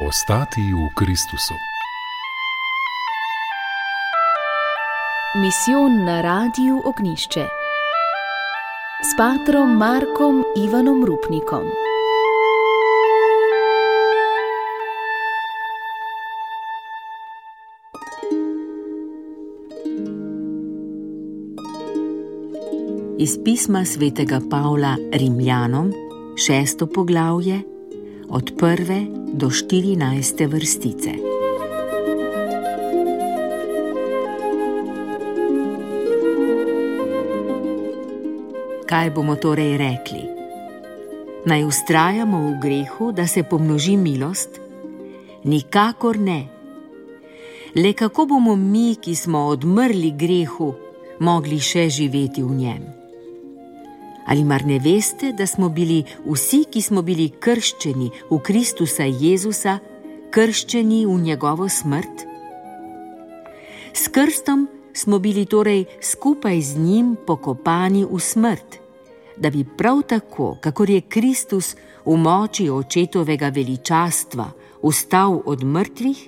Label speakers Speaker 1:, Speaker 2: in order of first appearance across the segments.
Speaker 1: Ostati v Kristusu.
Speaker 2: Misijon na Radiu Ognjišče s patrom Markom Ivanom Rupnikom.
Speaker 3: Iz pisma svetega Pavla Rimljanom, 6. poglavje, od 1. do 14. vrstice. Kaj bomo torej rekli? Naj vztrajamo v grehu, da se pomnoži milost? Nikakor ne. Le kako bomo mi, ki smo odmrli grehu, mogli še živeti v njem? Ali mar ne veste, da smo bili vsi, ki smo bili krščeni v Kristusa Jezusa, krščeni v njegovo smrt? S krstom smo bili torej skupaj z njim pokopani v smrt, da bi prav tako, kakor je Kristus v moči očetovega veličastva vstal od mrtvih,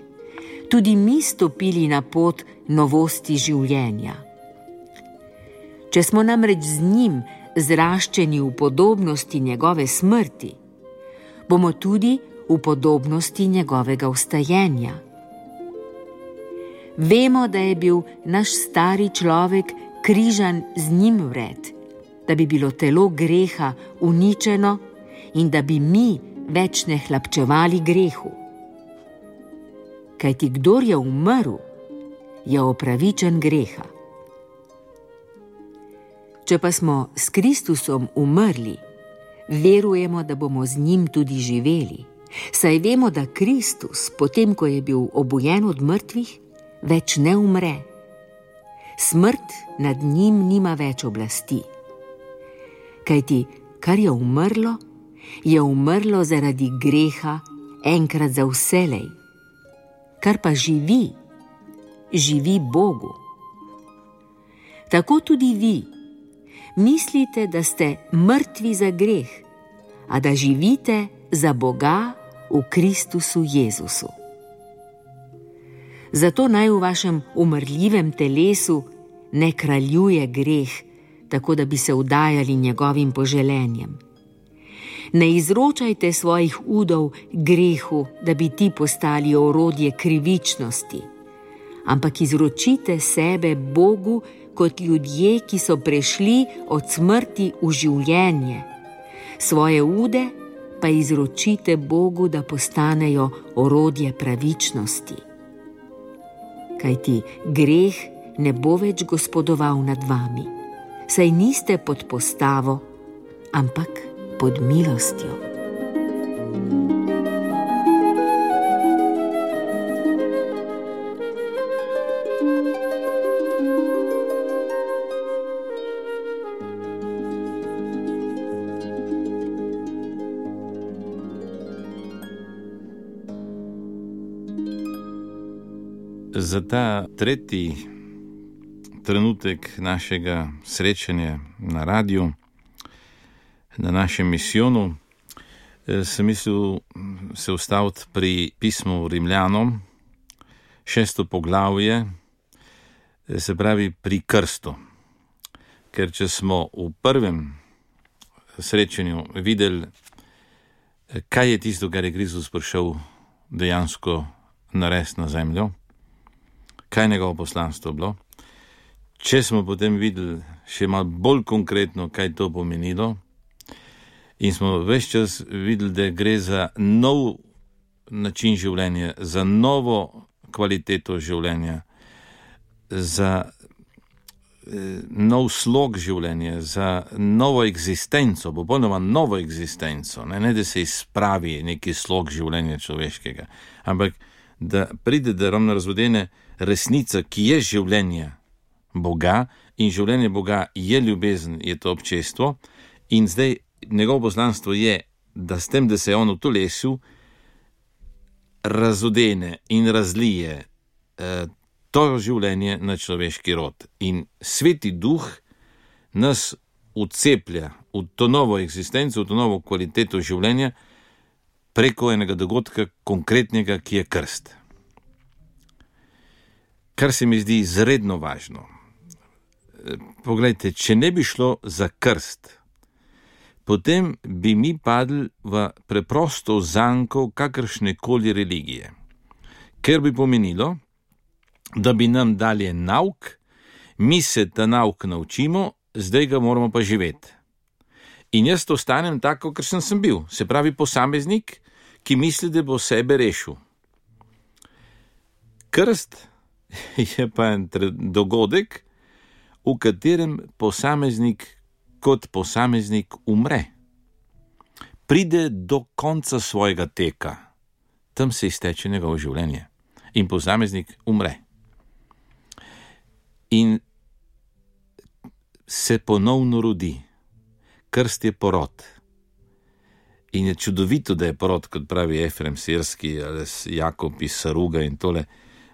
Speaker 3: tudi mi stopili na pot novosti življenja. Če smo namreč z njim zraščeni v podobnosti njegove smrti, bomo tudi v podobnosti njegovega vstajenja. Vemo, da je bil naš stari človek križan z njim vred, da bi bilo telo greha uničeno in da bi mi več ne hlapčevali grehu. Kajti kdor je umrl, je opravičen greha. Če pa smo s Kristusom umrli, verujemo, da bomo z njim tudi živeli, saj vemo, da Kristus, potem ko je bil obujen od mrtvih, več ne umre. Smrt nad njim nima več oblasti. Kajti, kar je umrlo zaradi greha enkrat za vselej. Kar pa živi, živi Bogu. Tako tudi vi mislite, da ste mrtvi za greh, a da živite za Boga v Kristusu Jezusu. Zato naj v vašem umrljivem telesu ne kraljuje greh, tako da bi se vdajali njegovim poželenjem. Ne izročajte svojih udov grehu, da bi ti postali orodje krivičnosti, ampak izročite sebe Bogu kot ljudje, ki so prešli od smrti v življenje. Svoje ude pa izročite Bogu, da postanejo orodje pravičnosti. Kajti greh ne bo več gospodoval nad vami, saj niste pod postavo, ampak pod milostjo.
Speaker 4: Za ta tretji trenutek našega srečanja na radiju, na našem misijonu, sem mislil se ustaviti pri pismu Rimljanom, 6. poglavje, se pravi pri krstu. Ker če smo v prvem srečanju videli, kaj je tisto, kar je Kristus prišel dejansko narediti na zemljo, kaj je njegovo poslanstvo bilo. Če smo potem videli še malo bolj konkretno, kaj to pomenilo, in smo ves čas videli, da gre za nov način življenja, za novo kvaliteto življenja, za nov slog življenja, za novo eksistenco, popolnoma novo eksistenco, ne da se izpravi neki slog življenja človeškega, ampak da pride do ravno razvodene resnica, ki je življenje Boga, in življenje Boga je ljubezen, je to občestvo, in zdaj njegovo poslanstvo je, da s tem, da se je on v telesu, razodene in razlije to življenje na človeški rod. In Sveti Duh nas vceplja v to novo eksistenco, v to novo kvaliteto življenja, preko enega dogodka konkretnega, ki je krst. Kar se mi zdi izredno važno. Poglejte, če ne bi šlo za krst, potem bi mi padli v preprosto zanko kakršnekoli religije, ker bi pomenilo, da bi nam dali nauk, mi se ta nauk naučimo, zdaj ga moramo pa živeti. In jaz ostanem tako, ker sem bil, se pravi posameznik, ki misli, da bo sebe rešil. Krst je pa en dogodek, v katerem posameznik kot posameznik umre. Pride do konca svojega teka, tam se izteče njegovo življenje in posameznik umre. In se ponovno rodi. Krst je porod. In je čudovito, da je porod, kot pravi Efrem Sirski ali Jakob iz Saruga in tole,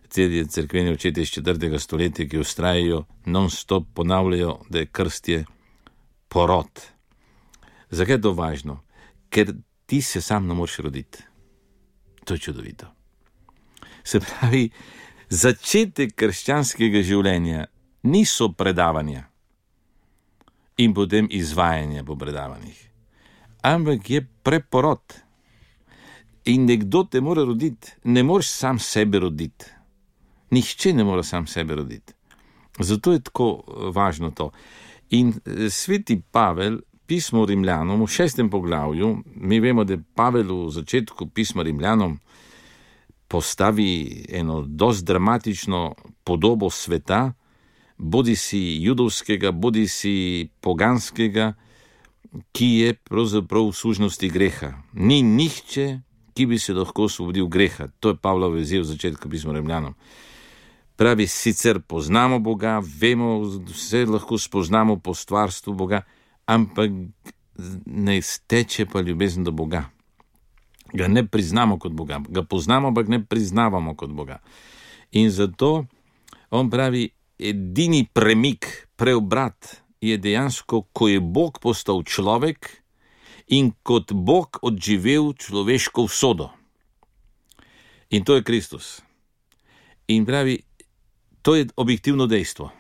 Speaker 4: te cerkveni očetje iz 4. stoletja, ki vztrajajo, non-stop ponavljajo, da je krst je porod. Zakaj je to važno? Ker ti se sam ne moreš roditi. To je čudovito. Se pravi, začetek krščanskega življenja niso predavanja in potem izvajanje po predavanjih, ampak je preporod. In nekdo te mora roditi, ne moreš sam sebe roditi. Nihče ne more sam sebe roditi. Zato je tako važno to. In sveti Pavel, pismo Rimljanom v 6. poglavju, mi vemo, da Pavel v začetku pisma Rimljanom postavi eno dosti dramatično podobo sveta, bodi si judovskega, bodi si poganskega, ki je pravzaprav v sužnosti greha. Ni nihče, ki bi se lahko osvobodil greha. To je Pavlov izziv v začetku pisma Rimljanom. Pravi, sicer poznamo Boga, vemo, vse lahko spoznamo po stvarstvu Boga, ampak ne steče pa ljubezen do Boga. Ga ne priznamo kot Boga. Ga poznamo, ampak ne priznavamo kot Boga. In zato on pravi, edini premik, preobrat je dejansko, ko je Bog postal človek in kot Bog odživel človeško usodo. In to je Kristus. In pravi, to je objektivno dejstvo.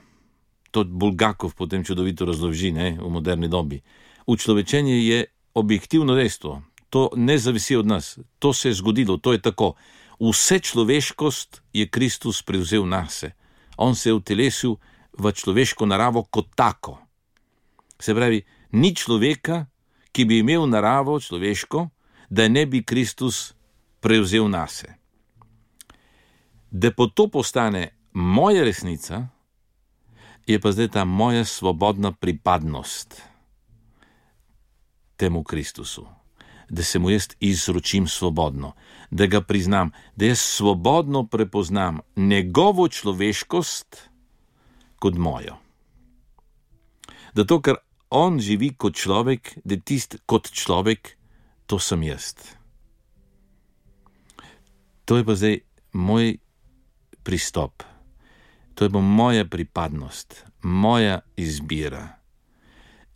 Speaker 4: To Bulgakov potem čudovito razloži, v moderni dobi. Učlovečenje je objektivno dejstvo. To ne zavisi od nas. To se je zgodilo, to je tako. Vse človeškost je Kristus prevzel nase. On se je utelesil v človeško naravo kot tako. Se pravi, ni človeka, ki bi imel naravo človeško, da ne bi Kristus prevzel nase. Da po to postane moja resnica, je pa zdaj ta moja svobodna pripadnost temu Kristusu. Da se mu jaz izročim svobodno, da ga priznam, da jaz svobodno prepoznam njegovo človeškost kot mojo. Zato, ker on živi kot človek, da tist kot človek, to sem jaz. To je pa zdaj moj pristop. To je pa moja pripadnost, moja izbira.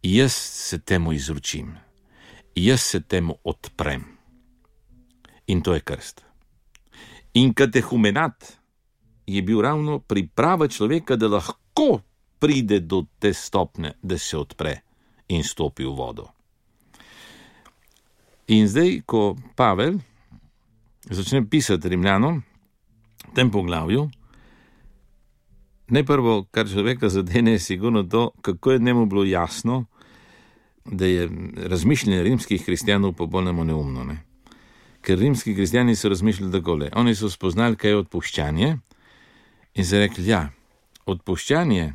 Speaker 4: Jaz se temu izročim. Jaz se temu odprem. In to je krst. In katehumenat je bil ravno priprava človeka, da lahko pride do te stopne, da se odpre in stopi v vodo. In zdaj, ko Pavel začne pisati Rimljanom, v tem poglavju, najprvo, kar človeka zadene, je sigurno to, kako je njemu bilo jasno, da je razmišljanje rimskih kristjanov popolnoma neumno. Ker rimski kristjani so razmišljali takole. Oni so spoznali, kaj je odpuščanje in so rekli, odpuščanje,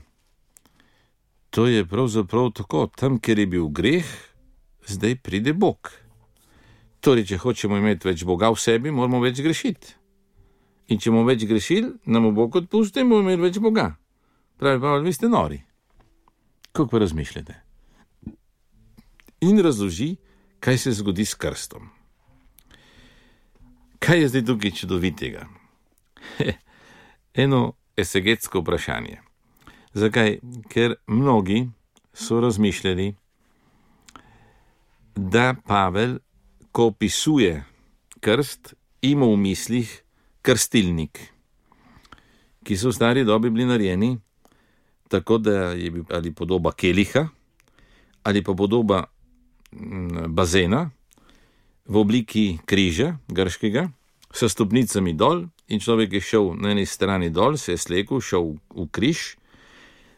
Speaker 4: to je pravzaprav tako, tam, kjer je bil greh, zdaj pride Bog. Torej, če hočemo imeti več Boga v sebi, moramo več grešiti. In če bomo več grešili, nam bo Bog odpustil in bomo imeli več Boga. Pravi Pavel, vi ste nori. Kako pa razmišljate? In razloži, kaj se zgodi s krstom. Kaj je zdaj tukaj čudovitega? Eno esegetsko vprašanje. Zakaj? Ker mnogi so razmišljali, da Pavel, ko opisuje krst ima v mislih krstilnik, ki so v stari dobi bili narejeni tako, da je ali podoba keliha ali pa podoba bazena v obliki križa grškega, s stopnicami dol, in človek je šel na eni strani dol, se je slekel, šel v križ,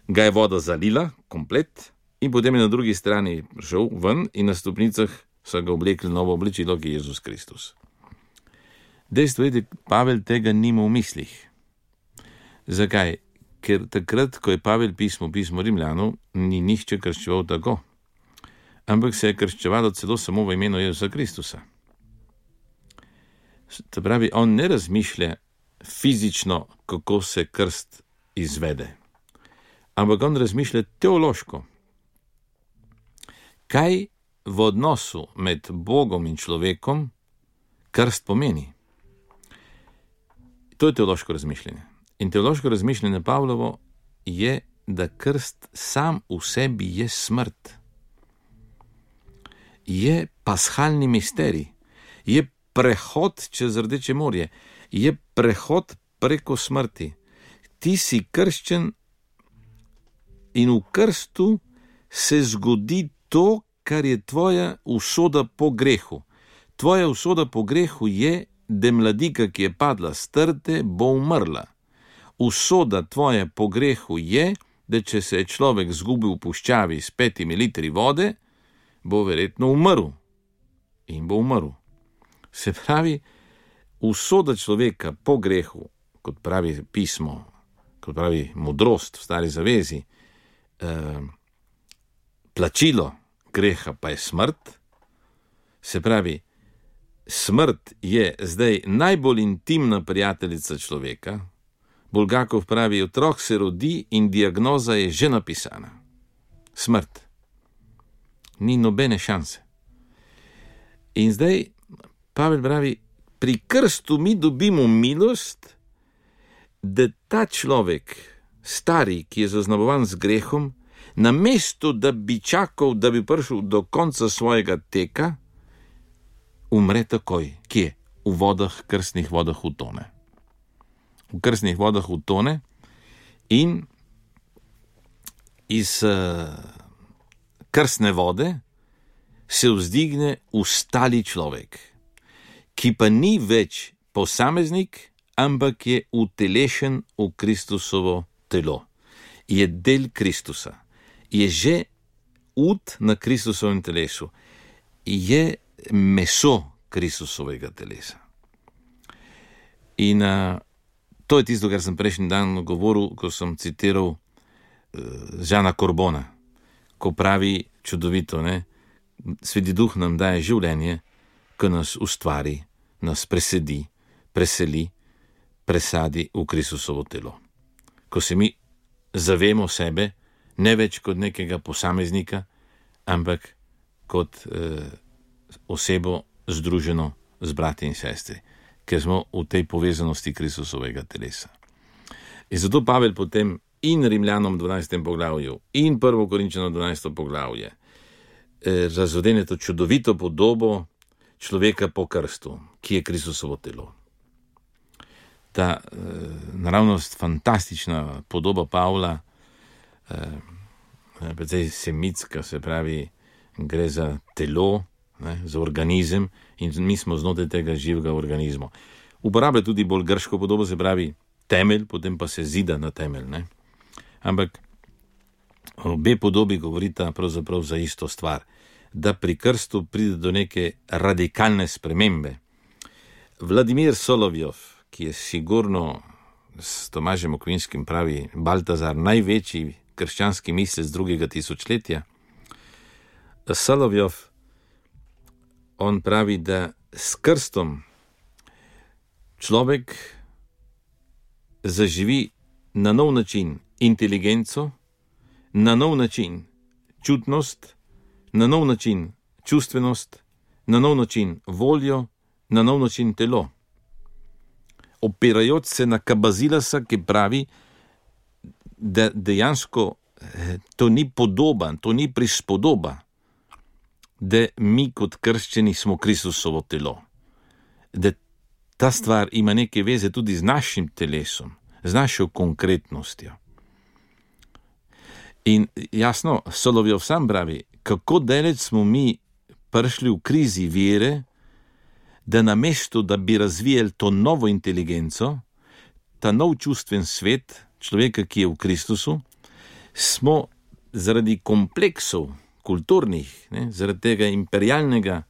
Speaker 4: ga je voda zalila komplet in potem je na drugi strani šel ven in na stopnicah so ga oblekli novo oblečilo, ki je Jezus Kristus. Dejstvo je, da Pavel tega nima v mislih. Zakaj? Ker takrat, ko je Pavel pismo Rimljanov, ni nihče krščeval tako, ampak se je krščevalo celo samo v imenu Jezusa Kristusa. To pravi, on ne razmišlja fizično, kako se krst izvede, ampak on razmišlja teološko. Kaj v odnosu med Bogom in človekom krst pomeni? To je teološko razmišljanje. In teološko razmišljanje Pavlovo je, da krst sam v sebi je smrt. Je pashalni misterij, je prehod čez Rdeče morje, je prehod preko smrti. Ti si krščen in v krstu se zgodi to, kar je tvoja usoda po grehu. Tvoja usoda po grehu je, da mladika, ki je padla s trte, bo umrla. Usoda tvoja po grehu je, da če se je človek zgubil v puščavi s 5 litri vode, bo verjetno umrl. In bo umrl. Se pravi, usoda človeka po grehu, kot pravi pismo, kot pravi modrost v Stari zavezi, plačilo greha pa je smrt. Se pravi, smrt je zdaj najbolj intimna prijateljica človeka. Bulgakov pravi, otrok se rodi in diagnoza je že napisana. Smrt. Ni nobene šanse. In zdaj Pavel pravi, pri krstu mi dobimo milost, da ta človek, stari, ki je zaznamovan z grehom, namesto da bi čakal, da bi prišel do konca svojega teka, umre takoj. Kje? V vodah, krstnih vodah utone. V krstnih vodah utone in iz krstne vode se vzdigne ustali človek, ki pa ni več posameznik, ampak je utelešen v Kristusovo telo. Je del Kristusa. Je že ud na Kristusovem telesu. Je meso Kristusovega telesa. In to je tisto, kar sem prejšnji dan govoril, ko sem citiral Žana Korbona, ko pravi čudovito, ne? Sveti Duh nam daje življenje, ko nas ustvari, nas presedi, preseli, presadi v Kristusovo telo. Ko se mi zavemo sebe, ne več kot nekega posameznika, ampak kot osebo združeno z brati in sestri, ker smo v tej povezanosti Kristusovega telesa. In zato Pavel potem in Rimljanom 12. poglavju in 1. Korinčanom 12. poglavje razodene to čudovito podobo človeka po krstu, ki je Kristusovo telo. Ta naravnost fantastična podoba Pavla, precej semitska, se pravi, gre za telo, ne, za organizem, in mi smo znotraj tega živega organizma. Uporablja tudi bolj grško podobo, se pravi temelj, potem pa se zida na temelj. Ne. Ampak obe podobi govorita pravzaprav za isto stvar, da pri krstu pride do neke radikalne spremembe. Vladimir Solovjov, ki je sigurno s Tomažem Okvinskim pravi Baltazar največji krščanski mislec 2. tisočletja, Solovjov, on pravi, da s krstom človek zaživi na nov način inteligenco, na nov način čutnost, na nov način čustvenost, na nov način voljo, na nov način telo. Opirajoč se na Kabazilasa, ki pravi, da dejansko to ni podoba, to ni prispodoba, da mi kot krščeni smo Kristusovo telo. da ta stvar ima neke veze tudi z našim telesom, z našo konkretnostjo. In jasno, Solovjov sam pravi, kako daleč smo mi prišli v krizi vere, da namesto, da bi razvijali to novo inteligenco, ta nov čustven svet človeka, ki je v Kristusu, smo zaradi kompleksov kulturnih, zaradi tega imperialnega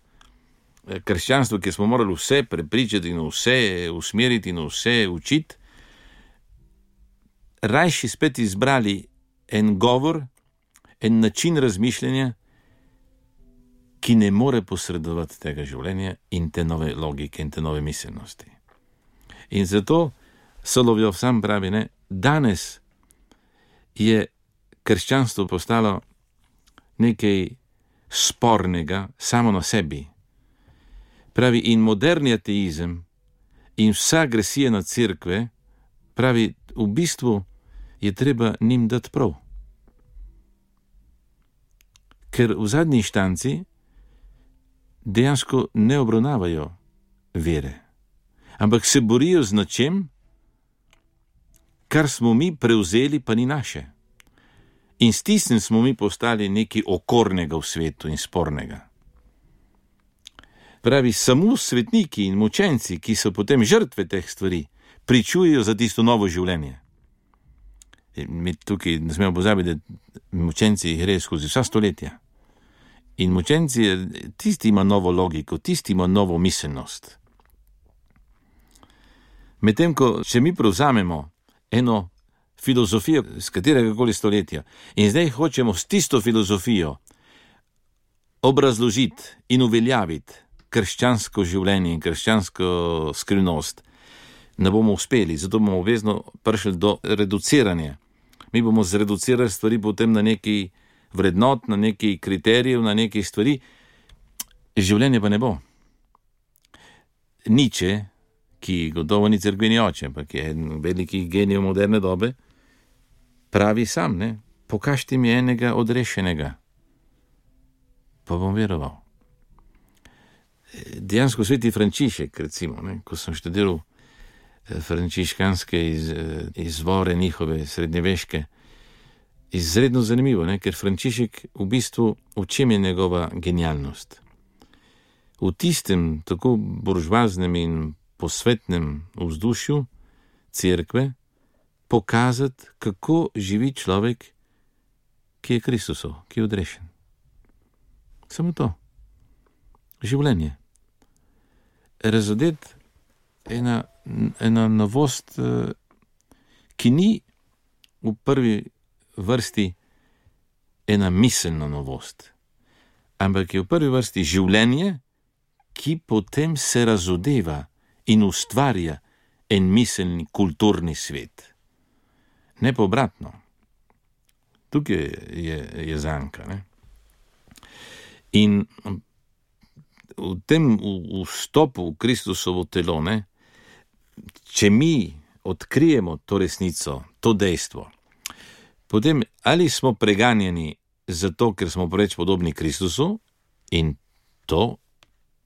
Speaker 4: krščanstva, ki smo morali vse prepričati in vse usmeriti in vse učiti, rajši spet izbrali en govor, en način razmišljanja, ki ne more posredovati tega življenja in te nove logike in te nove miselnosti. In zato Solovjov sam pravi, danes je krščanstvo postalo nekaj spornega samo na sebi. Pravi, in moderni ateizem in vsa agresija na cerkve, pravi, v bistvu je treba njim dati prav. Ker v zadnji inštanci dejansko ne obravnavajo vere, ampak se borijo z nečem, kar smo mi prevzeli, pa ni naše. In s tistim smo mi postali nekaj okornega v svetu in spornega. Pravi, samo svetniki in mučenci, ki so potem žrtve teh stvari, pričujejo za tisto novo življenje. Mi tukaj ne smemo pozabiti, da mučenci grejo skozi vsa stoletja. In mučenci, tisti ima novo logiko, tisti ima novo miselnost. Medtem ko, če mi prevzamemo eno filozofijo z kateregakoli stoletja in zdaj hočemo s tisto filozofijo obrazložiti in uveljaviti krščansko življenje in krščansko skrivnost, ne bomo uspeli, zato bomo obvezno prišli do reduciranja. Mi bomo zreducirali stvari potem na neki vrednot, na neki kriterijev, na neki stvari, življenje pa ne bo. Nietzsche, ki gotovo ni cerkveni oče, ampak je en veliki genij moderne dobe, pravi sam, pokažite mi enega odrešenega, pa bom veroval. Dejansko sveti Frančišek, recimo, ko sem študiral frančiškanske izvore njihove srednjeveške, izredno zanimivo, ker Frančišek v bistvu, v čem je njegova genialnost? V tistem tako buržoaznem in posvetnem vzdušju cerkve pokazati, kako živi človek, ki je Kristusov, ki je odrešen. Samo to. Življenje. Razodeti ena novost, ki ni v prvi vrsti ena miselna novost, ampak je v prvi vrsti življenje, ki potem se razodeva in ustvarja en miselni kulturni svet. Ne pa obratno. Tukaj je zanka. In v tem vstopu v Kristusovo telo, če mi odkrijemo to resnico, to dejstvo, potem ali smo preganjeni zato, ker smo preveč podobni Kristusu, in to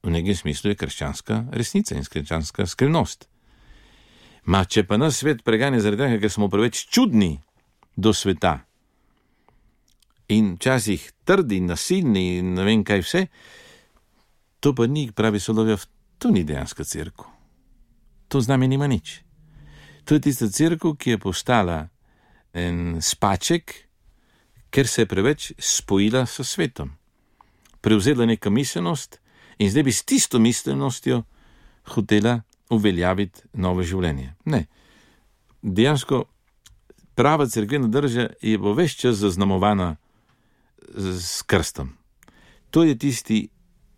Speaker 4: v nekem smislu je krščanska resnica in krščanska skrivnost. Če pa nas svet preganja zaradi tega, ker smo preveč čudni do sveta in včasih trdi, nasilni in ne vem kaj vse, to pa ni, pravi Solovjov, to ni dejanska cerkev. To z nami nima nič. To je tista cerkev, ki je postala en spaček, ker se je preveč spojila s svetom. Prevzela neka miselnost in zdaj bi s tisto miselnostjo hotela uveljaviti novo življenje. Ne. Dejansko prava cerkvena drža je bo ves čas zaznamovana s krstom. To je tisti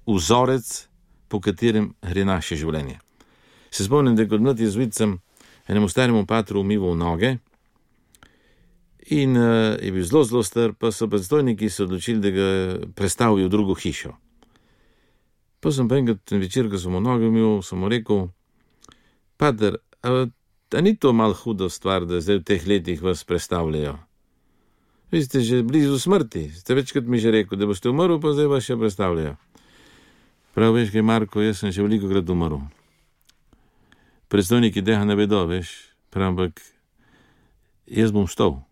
Speaker 4: vzorec, po katerem gre naše življenje. Se spomnim, da kot mlad jezuit sem enemu staremu patru umival noge in je bil zelo, zelo star, pa so predstojniki se odločili, da ga prestavijo v drugo hišo. Pa sem pa enkrat ten večer, ko sem mu noge umil, sem mu rekel: Pater, a ni to malo hudo stvar, da zdaj v teh letih vas prestavljajo? Vi ste že blizu smrti, ste večkrat mi že rekel, da boste umrl, pa zdaj vas še prestavljajo. Prav veš, kaj, Marko, jaz sem že velikokrat umrl. predstojniki tega ne vedo, veš, ampak jaz bom vstal.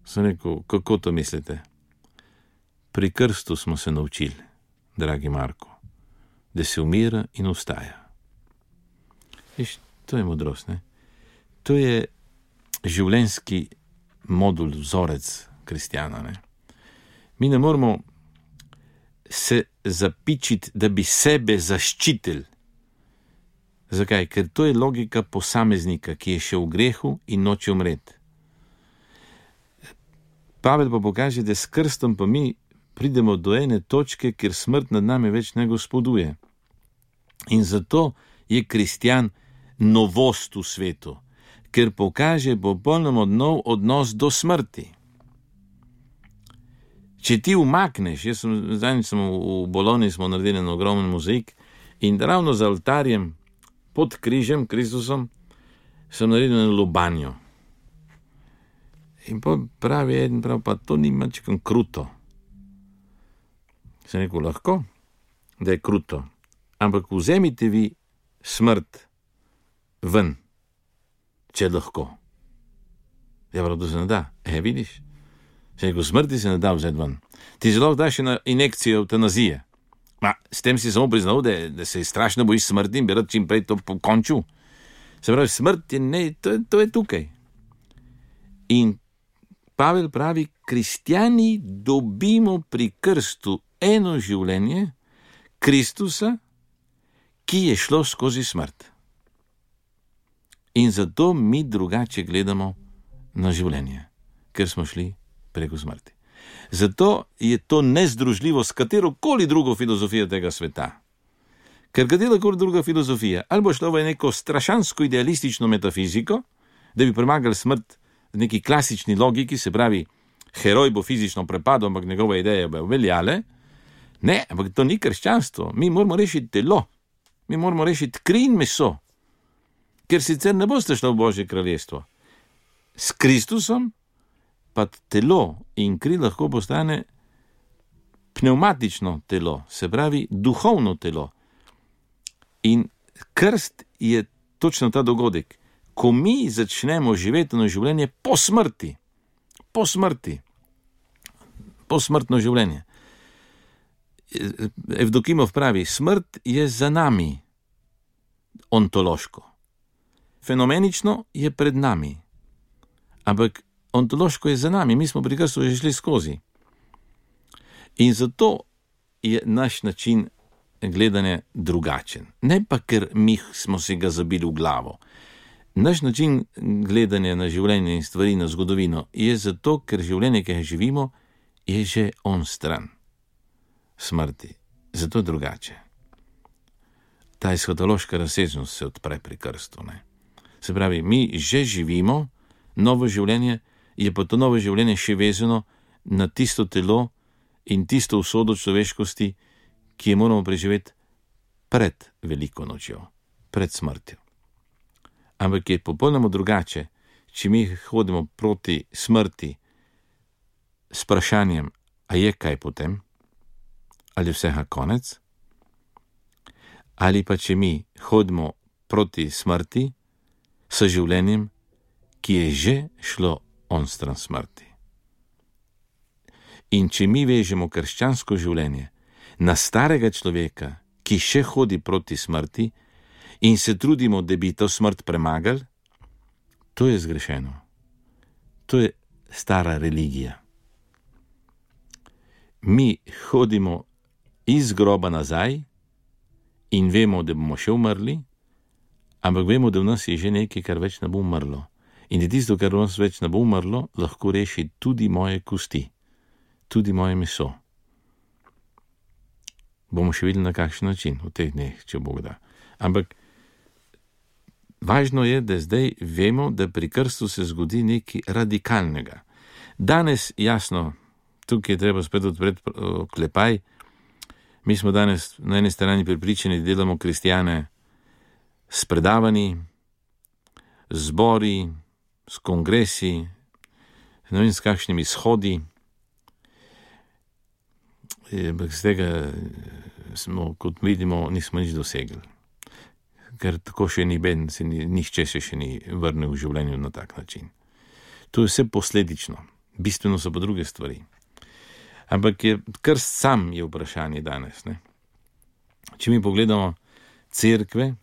Speaker 4: Sem rekel, kako to mislite? Pri krstu smo se naučili, dragi Marko, da se umira in vstaja. Viš, to je modrost, ne? To je življenjski modul, vzorec kristjana, ne? Mi ne moramo se zapičiti, da bi sebe zaščitili. Zakaj? Ker to je logika posameznika, ki je še v grehu in noče umreti. Pavel pa pokaže, da s krstom pa mi pridemo do ene točke, kjer smrt nad nami več ne gospoduje. In zato je kristjan novost v svetu, ker pokaže popolnoma nov odnos do smrti. Če ti umakneš, zdaj sem v Bologni, smo naredili en ogromen mozaik in ravno za oltarjem pod križem, Kristusom, sem naredil eno lobanjo. In pravi eden, pa to ni mačkam kruto. Sem rekel, lahko, da je kruto, ampak vzemite vi smrt ven, če lahko. Ja, prav, to se ne da. Vidiš? Sem rekel, smrti se ne da vzeti ven. Ti zelo daš na injekcijo eutanazije. S tem si samo priznal, da se strašno bojiš smrti in bi rad čim prej to pokončil. Se pravi, smrt je ne, to je tukaj. In Pavel pravi, kristjani dobimo pri krstu eno življenje Kristusa, ki je šlo skozi smrt. In zato mi drugače gledamo na življenje, ker smo šli preko smrti. Zato je to nezdružljivo s katerokoli drugo filozofijo tega sveta. Ker katerokoli druga filozofija, ali bo šlo v neko strašansko idealistično metafiziko, da bi premagali smrt v neki klasični logiki, se pravi, heroj bo fizično prepadel, ampak njegove ideje bo veljale. Ne, ampak to ni krščanstvo. Mi moramo rešiti telo. Mi moramo rešiti kri in meso. Ker sicer ne boste šli v Božje kraljestvo. S Kristusom pa telo in kri lahko postane pnevmatično telo, se pravi duhovno telo. In krst je točno ta dogodek, ko mi začnemo živeti na življenje po smrti. Po smrti. Posmrtno življenje. Evdokimov pravi, smrt je za nami ontološko. Fenomenično je pred nami. Ampak ontološko je za nami, mi smo pri krstu že šli skozi. In zato je naš način gledanja drugačen. Ne pa, ker mi smo si ga zabili v glavo. Naš način gledanja na življenje in stvari, na zgodovino, je zato, ker življenje, ki ga živimo, je že on stran smrti. Zato je drugače. Ta eshatološka razsežnost se odpre pri krstu. Ne? Se pravi, mi že živimo novo življenje, je pa to novo življenje še vezano na tisto telo in tisto usodo človeškosti, ki je moramo preživeti pred veliko nočjo, pred smrtjo. Ampak je popolnoma drugače, če mi hodimo proti smrti s vprašanjem, a je kaj potem, ali vsega konec, ali pa če mi hodimo proti smrti s življenjem, ki je že šlo onstran smrti. In če mi vežemo krščansko življenje na starega človeka, ki še hodi proti smrti in se trudimo, da bi to smrt premagali, to je zgrešeno. To je stara religija. Mi hodimo iz groba nazaj in vemo, da bomo še umrli, ampak vemo, da v nas je že nekaj, kar več ne bo umrlo. In da tisto, kar v nas več ne bo umrlo, lahko reši tudi moje kosti, tudi moje meso. Bomo še videli na kakšen način v teh dneh, če Bog da. Ampak važno je, da zdaj vemo, da pri krstu se zgodi nekaj radikalnega. Danes, jasno, tukaj je treba spet odpreti klepaj, mi smo danes na eni strani prepričani, da delamo kristjane s predavanji, z zbori, s kongresi, ne vem s kakšnimi shodi, ampak z tega smo, kot vidimo, nismo nič dosegli. ker tako še ni ben, nihče se še ni vrnil v življenju na tak način. To je vse posledično, bistveno so pa druge stvari. Ampak krst sam je vprašanje danes. Ne? Če mi pogledamo cerkve,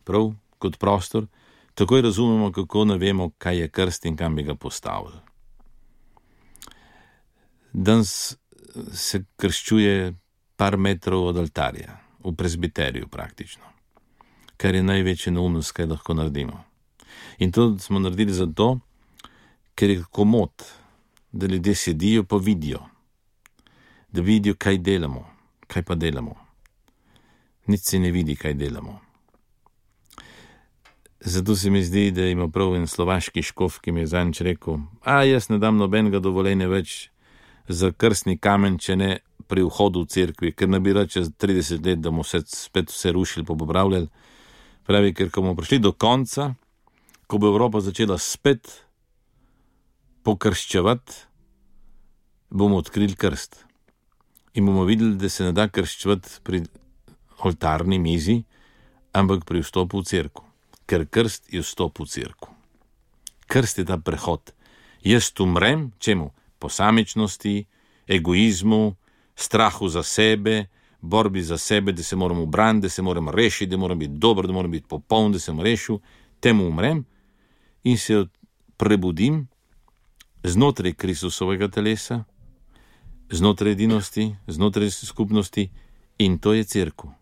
Speaker 4: prav kot prostor, takoj razumemo, kako ne vemo, kaj je krst in kam bi ga postavili. Danes se krščuje par metrov od oltarja, v presbiteriju praktično, kar je največja neumnost, kaj lahko naredimo. In to smo naredili zato, ker je komod, da ljudje sedijo pa vidijo, da vidijo, kaj delamo, kaj pa delamo. Nič se ne vidi, kaj delamo. Zato se mi zdi, da ima prav en slovaški škof, ki mi je zadnjič rekel, jaz ne dam nobenega dovoljenja več za krstni kamen, če ne pri vhodu v cerkvi, ker ne bi rad čez 30 let, da bomo spet vse rušili pa popravljali. Pravi, ker ko bomo prišli do konca, ko bo Evropa začela spet pokrščevati, bomo odkrili krst. In bomo videli, da se ne da krščevati pri oltarni mizi, ampak pri vstopu v cerkev. Ker krst je vstop v cerkev. Krst je ta prehod. Jaz umrem, čemu? Posamičnosti, egoizmu, strahu za sebe, borbi za sebe, da se moram ubraniti, da se moram rešiti, da moram biti dober, da moram biti popoln, da sem rešil, temu umrem in se prebudim znotraj Kristusovega telesa, znotraj edinosti, znotraj skupnosti in to je cerkev.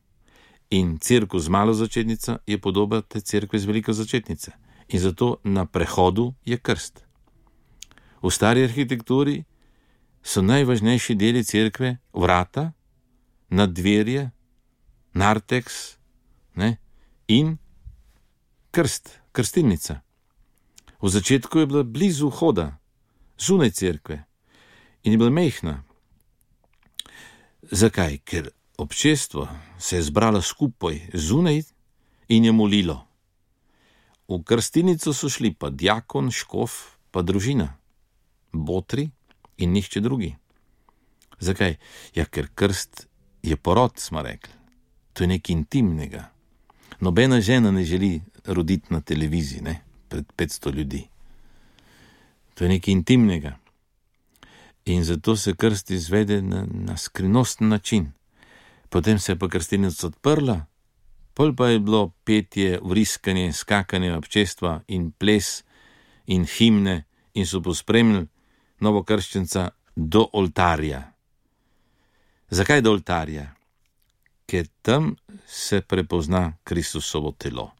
Speaker 4: In cerkev z malo začetnica je podoba te cerkve z veliko začetnice. In zato na prehodu je krst. V stari arhitekturi so najvažnejši deli cerkve vrata, naddverje, narteks, in krst, krstilnica. V začetku je bila blizu vhoda, zunaj cerkve in je bila mejhna. Zakaj? Ker občestvo se je zbralo skupaj zunaj in je molilo. V krstilnico so šli pa diakon, škof, pa družina, botri in nihče drugi. Zakaj? Ja, ker krst je porod, smo rekli. To je nekaj intimnega. Nobena žena ne želi roditi na televiziji, pred 500 ljudi. To je nekaj intimnega. In zato se krst izvede na skrivnosten način. Potem se je pa krstilnica odprla, pol pa je bilo petje, vriskanje, skakanje občestva in ples in himne in so pospremili novokrščenca do oltarja. Zakaj do oltarja? Ker tam se prepozna Kristusovo telo.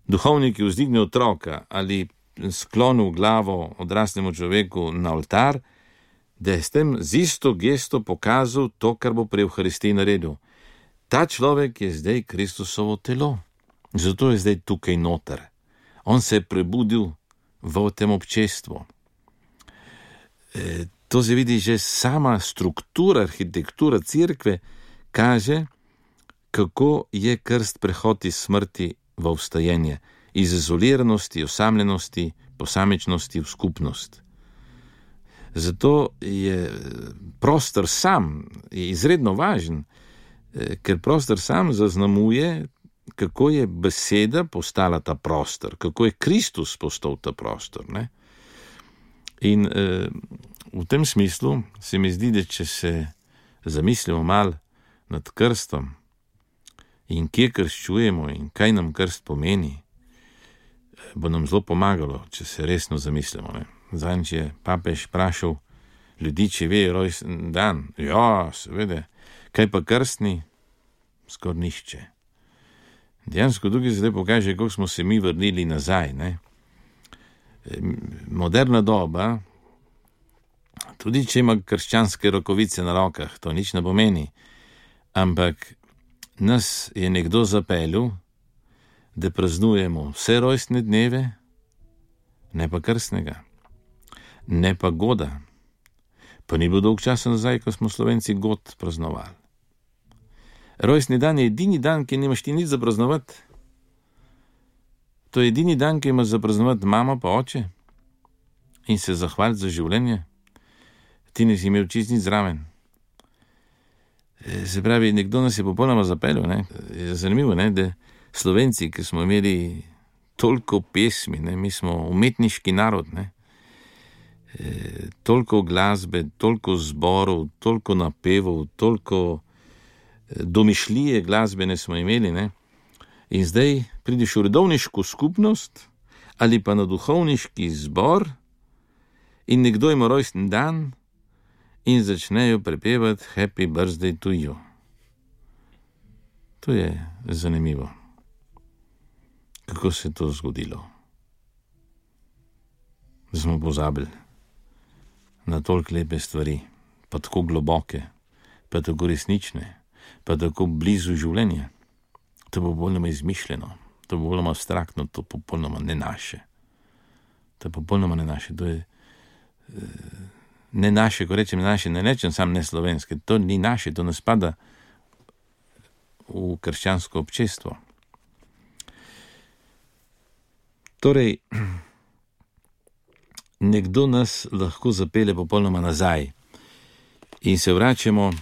Speaker 4: Duhovnik je vzdignil otroka ali sklonil glavo odraslemu človeku na oltar, da je s tem z isto gesto pokazal to, kar bo pri Evharistiji naredil. Ta človek je zdaj Kristusovo telo. Zato je zdaj tukaj noter. On se je prebudil v tem občestvu. To se vidi že sama struktura, arhitektura cerkve kaže, kako je krst prehod iz smrti v vstajenje, iz izoliranosti, osamljenosti, posamičnosti v skupnost. Zato je prostor sam izredno važen, ker prostor sam zaznamuje, kako je beseda postala ta prostor, kako je Kristus postal ta prostor. In v tem smislu se mi zdi, da če se zamislimo malo nad krstom in kje krščujemo in kaj nam krst pomeni, bo nam zelo pomagalo, če se resno zamislimo. Zadnjič je papež vprašal ljudi, če ve rojstni dan. Ja, seveda. Kaj pa krstni? Skoraj nihče. Dejansko tukaj zdaj pokaže, kako smo se mi vrnili nazaj. Moderna doba, tudi če ima krščanske rokovice na rokah, to nič ne pomeni, ampak nas je nekdo zapeljal, da praznujemo vse rojstne dneve, ne pa krstnega, ne pa goda. Pa ni bilo dolg časa nazaj, ko smo Slovenci god praznovali. Rojstni dan je edini dan, ki nimaš ti nič za praznovati. To je edini dan, ki imaš za praznovati mama pa oče in se zahvaliti za življenje. Ti nisi imel čist nič zraven. Se pravi, nekdo nas je popolnoma zapeljal. Je zanimivo, da Slovenci, ki smo imeli toliko pesmi, ne? Mi smo umetniški narod, ne? Toliko glasbe, toliko zborov, toliko napevov, toliko domišljije glasbene smo imeli, ne? In zdaj prideš v redovniško skupnost ali pa na duhovniški zbor in nekdo ima rojsten dan in začnejo prepevati Happy birthday to you. To je zanimivo. Kako se je to zgodilo? Da smo pozabili na toliko lepe stvari, pa tako globoke, pa tako resnične, pa tako blizu življenja. To je popolnoma izmišljeno, to je popolnoma abstraktno, to je popolnoma ne naše. To je popolnoma ne naše, to je ne naše, ko rečem naše, ne rečem sam ne slovenske, to ni naše, to ne spada v krščansko občestvo. Torej, nekdo nas lahko zapelje popolnoma nazaj in se vračamo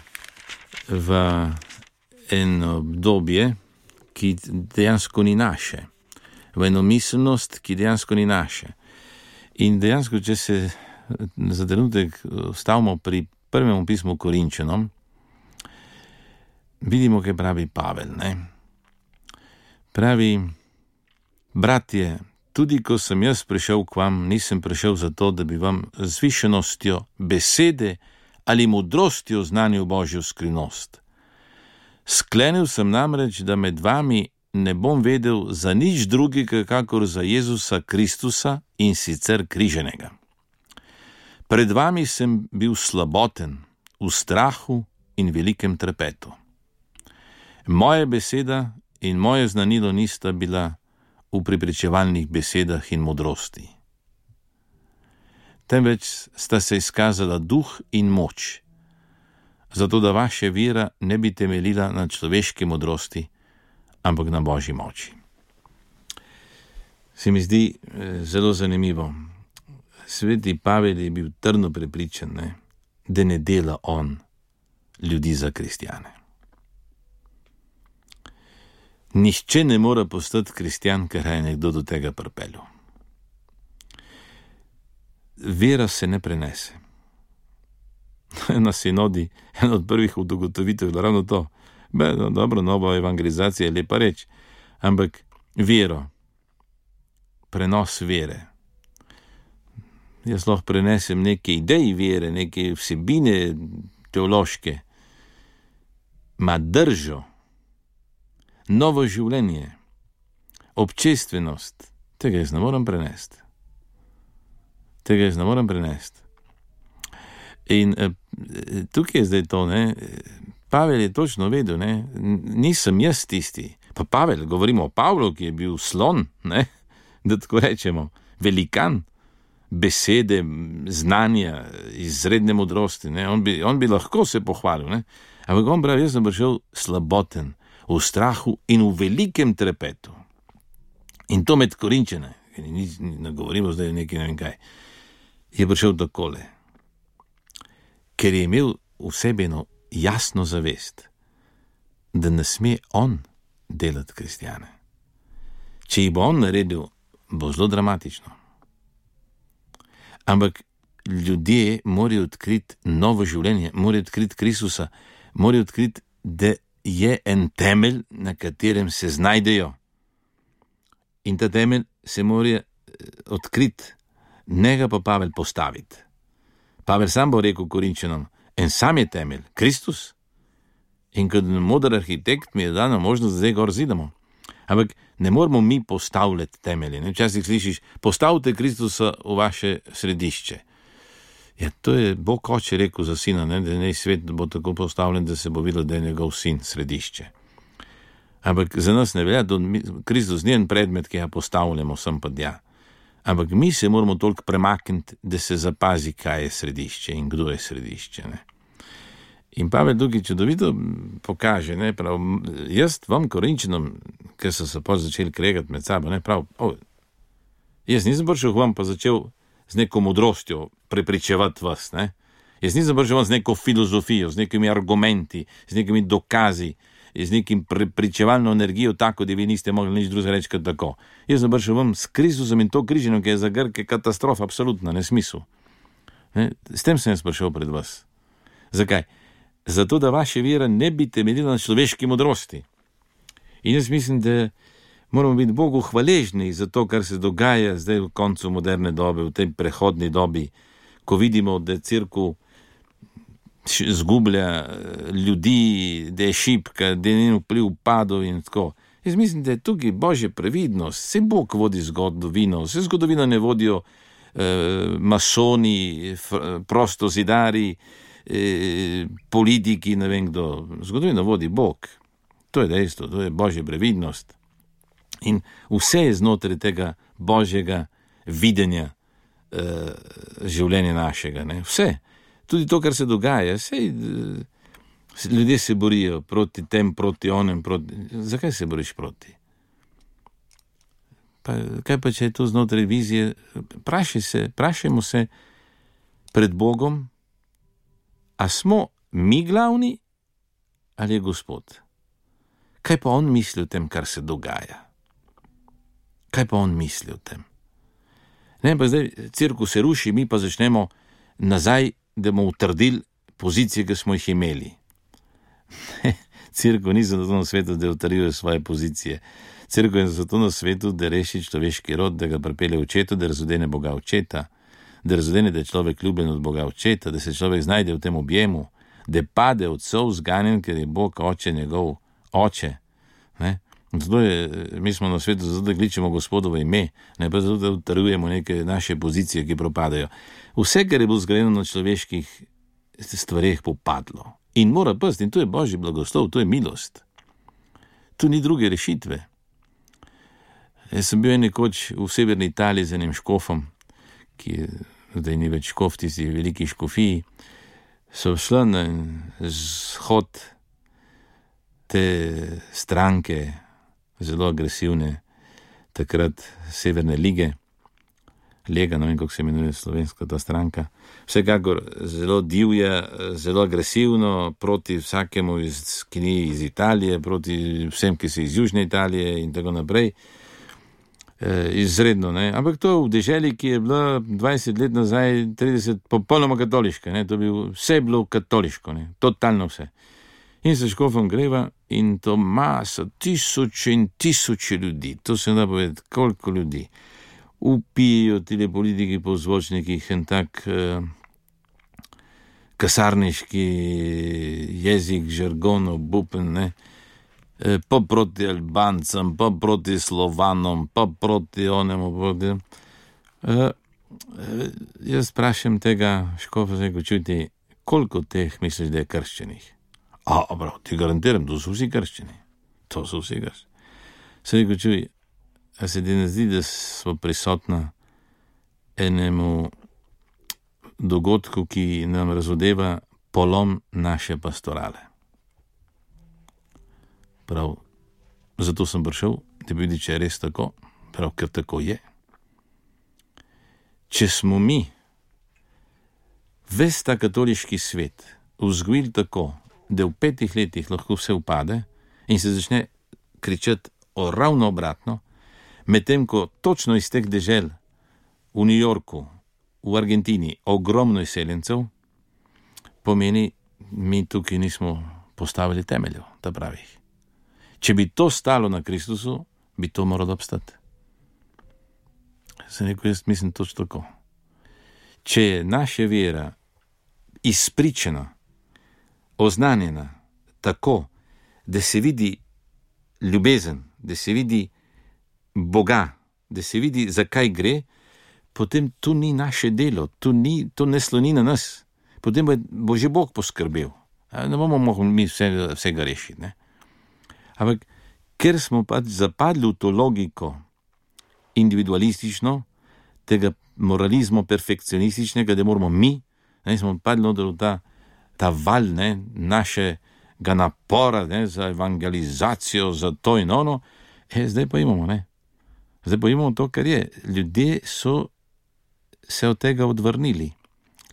Speaker 4: v eno obdobje, ki dejansko ni naše, v eno miselnost, ki dejansko ni naše. In dejansko, če se za trenutek stavimo pri prvem pismu Korinčanom, vidimo, kaj pravi Pavel, ne? Pravi: bratje, tudi ko sem jaz prišel k vam, nisem prišel zato, da bi vam z višenostjo besede ali modrostjo znanil Božjo skrivnost. Sklenil sem namreč, da med vami ne bom vedel za nič drugega, kakor za Jezusa Kristusa in sicer križenega. Pred vami sem bil slaboten, v strahu in velikem trepetu. Moja beseda in moje znanilo nista bila v prepričevalnih besedah in modrosti. Temveč sta se izkazala duh in moč, zato da vaša vera ne bi temeljila na človeški modrosti, ampak na Božji moči. Se mi zdi zelo zanimivo. Sveti Pavel je bil trdno prepričan, ne, da ne dela on ljudi za kristjane. Nihče ne more postati kristjan, ker je nekdo do tega pripeljal. Vera se ne prenese. Na sinodi, ena od prvih ugotovitev je ravno to. Dobro, nova evangelizacija je lepa reč, ampak vero, prenos vere. Jaz lahko prenesem neke ideje vere, neke vsebine teološke, ma držo, novo življenje, občestvenost, tega jaz ne morem prenesti. In tukaj je zdaj to, ne, Pavel je točno vedel, ne, nisem jaz tisti. Pa Pavel, govorimo o Pavlu, ki je bil slon, ne, da tako rečemo, velikan besede, znanja, izredne modrosti, ne, on bi lahko se pohvalil, ne, ampak on pravi, jaz sem prišel slaboten, v strahu in v velikem trepetu. In to med Korinčane, ne govorimo zdaj nekaj, ne vem kaj, je prišel takole, ker je imel v sebi eno jasno zavest, da ne sme on delati kristjane. Če jih bo on naredil, bo zelo dramatično. Ampak ljudje morajo odkriti novo življenje, morajo odkriti Kristusa, morajo odkriti, da je en temelj, na katerem se znajdejo. In ta temelj se mora odkriti, ne ga pa Pavel postaviti. Pavel sam bo rekel Korinčanom, en sam je temelj, Kristus. In kot moder arhitekt mi je dana možnost, da zdaj gor zidamo. Ampak ne moramo mi postavljati temelje. Včasih slišiš, postavite Kristusa v vaše središče. Ja, to je Bog oče rekel za sina, ne, da ne svet bo tako postavljen, da se bo videlo, da je njegov sin središče. Ampak za nas ne velja, da Kristus ni en predmet, ki ga postavljamo sem pa tja. Ampak mi se moramo toliko premakniti, da se zapazi, kaj je središče in kdo je središče. Ne. In Pavel tukaj čudovito pokaže, ne, prav, jaz vam Korinčanom, ker so se pa začeli kregati med sabo, ne, prav, jaz nisem prišel k vam pa začel z neko modrostjo prepričevati vas, ne. Jaz nisem prišel z neko filozofijo, z nekimi argumenti, z nekimi dokazi, z nekim pričevalno energijo, tako da vi niste mogli nič drugega reči kot tako. Jaz sem prišel vam s Kristusom in to križino, ki je za Grke katastrofa, absolutna, nesmisel. S tem sem jaz prišel pred vas. Zakaj? Zato, da vaša vera ne bi temeljila na človeški modrosti. In jaz mislim, da moramo biti Bogu hvaležni za to, kar se dogaja zdaj v koncu moderne dobe, v tej prehodni dobi, ko vidimo, da cerkev zgublja ljudi, da je šibka, da je njen vpliv padel in tako. Jaz mislim, da je tukaj božja previdnost. Se Bog vodi zgodovino, se zgodovino ne vodijo masoni, prostozidari, politiki, ne vem kdo. Zgodovino vodi Bog. To je dejstvo, to je božja previdnost. In vse je znotraj tega božjega videnja življenja našega. Ne? Vse. Tudi to, kar se dogaja, ljudje se borijo proti tem, proti onem, Zakaj se boriš proti? Kaj pa, če je to znotraj vizije? Vprašajmo se pred Bogom, a smo mi glavni ali je Gospod? Kaj pa on misli o tem, kar se dogaja? Kaj pa on misli o tem? Ne, pa zdaj cerkev se ruši, mi pa začnemo nazaj, da bomo utrdili pozicije, ki smo jih imeli. Cerkev ni zato na svetu, da utrjuje svoje pozicije. Cerkev je zato na svetu, da reši človeški rod, da ga pripelje očetu, da razodene Boga očeta, da razodene, da je človek ljubljen od Boga očeta, da se človek znajde v tem objemu, da pade od sov zganjen, ker je Bog oče njegov oče. Ne? Zato mi smo na svetu, zato da kličemo Gospodovo ime, ne pa zato da utrjujemo neke naše pozicije, ki propadajo. Vse, kar je bilo zgrajeno na človeških stvareh, popadlo. In mora pasti, in to je božji blagoslov, to je milost. Tu ni druge rešitve. Jaz sem bil nekoč v severni Italiji z enim škofom, ki je, zdaj ni več škof, tisti veliki škofiji, so šla na shod te stranke, zelo agresivne, takrat Severne lige, Lega, ne vem, kako se imenuje slovenska ta stranka, vsekakor zelo divja, zelo agresivno proti vsakemu, ki ni iz Italije, proti vsem, ki so iz Južne Italije in tako naprej. Izredno, ne. Ampak to v deželi, ki je bila 20 let nazaj, 30, popolnoma katoliška, ne. Vse je bilo katoliško, ne. Totalno vse. In se škofom greva in to masa, tisoče in tisoče ljudi, to se da povedati, koliko ljudi. Upijo tile politiki po zvočnikih in tak kasarniški jezik, žargon, obupen, ne. Pa proti Albancem, pa proti Slovanom, pa proti onemu, proti... Jaz sprašam tega škofa, zdaj, ko čuti, koliko teh misliš, da je krščenih? Prav, ti garantiram, to so vsi krščeni. To so vsi krščeni. Zdaj, ko čuti, a se ti ne zdi, da smo prisotna enemu dogodku, ki nam razodeva polom naše pastorale. Prav, zato sem prišel, da vidi, če je res tako, prav, ker tako je. Če smo mi ves ta katoliški svet vzgojili tako, da v 5 letih lahko vse upade in se začne kričati ravno obratno, medtem ko točno iz teh dežel v New Yorku, v Argentini, ogromno izseljencev, pomeni, mi tukaj nismo postavili temeljev, ta pravih. Če bi to stalo na Kristusu, bi to moralo obstati. Sem rekel, jaz mislim točno tako. Če je naša vera izpričana, oznanjena tako, da se vidi ljubezen, da se vidi Boga, da se vidi, zakaj gre, potem to ni naše delo, to ne sloni na nas. Potem bo že Bog poskrbel. Ne bomo mogli mi vsega rešiti. Ne? Ampak, ker smo pač zapadli v to logiko individualistično, tega moralizmu perfekcionističnega, da moramo mi, ne, smo padli v ta val, ne, našega napora, ne, za evangelizacijo, za to in ono, zdaj pa imamo, ne. Zdaj pa imamo to, kar je. Ljudje so se od tega odvrnili.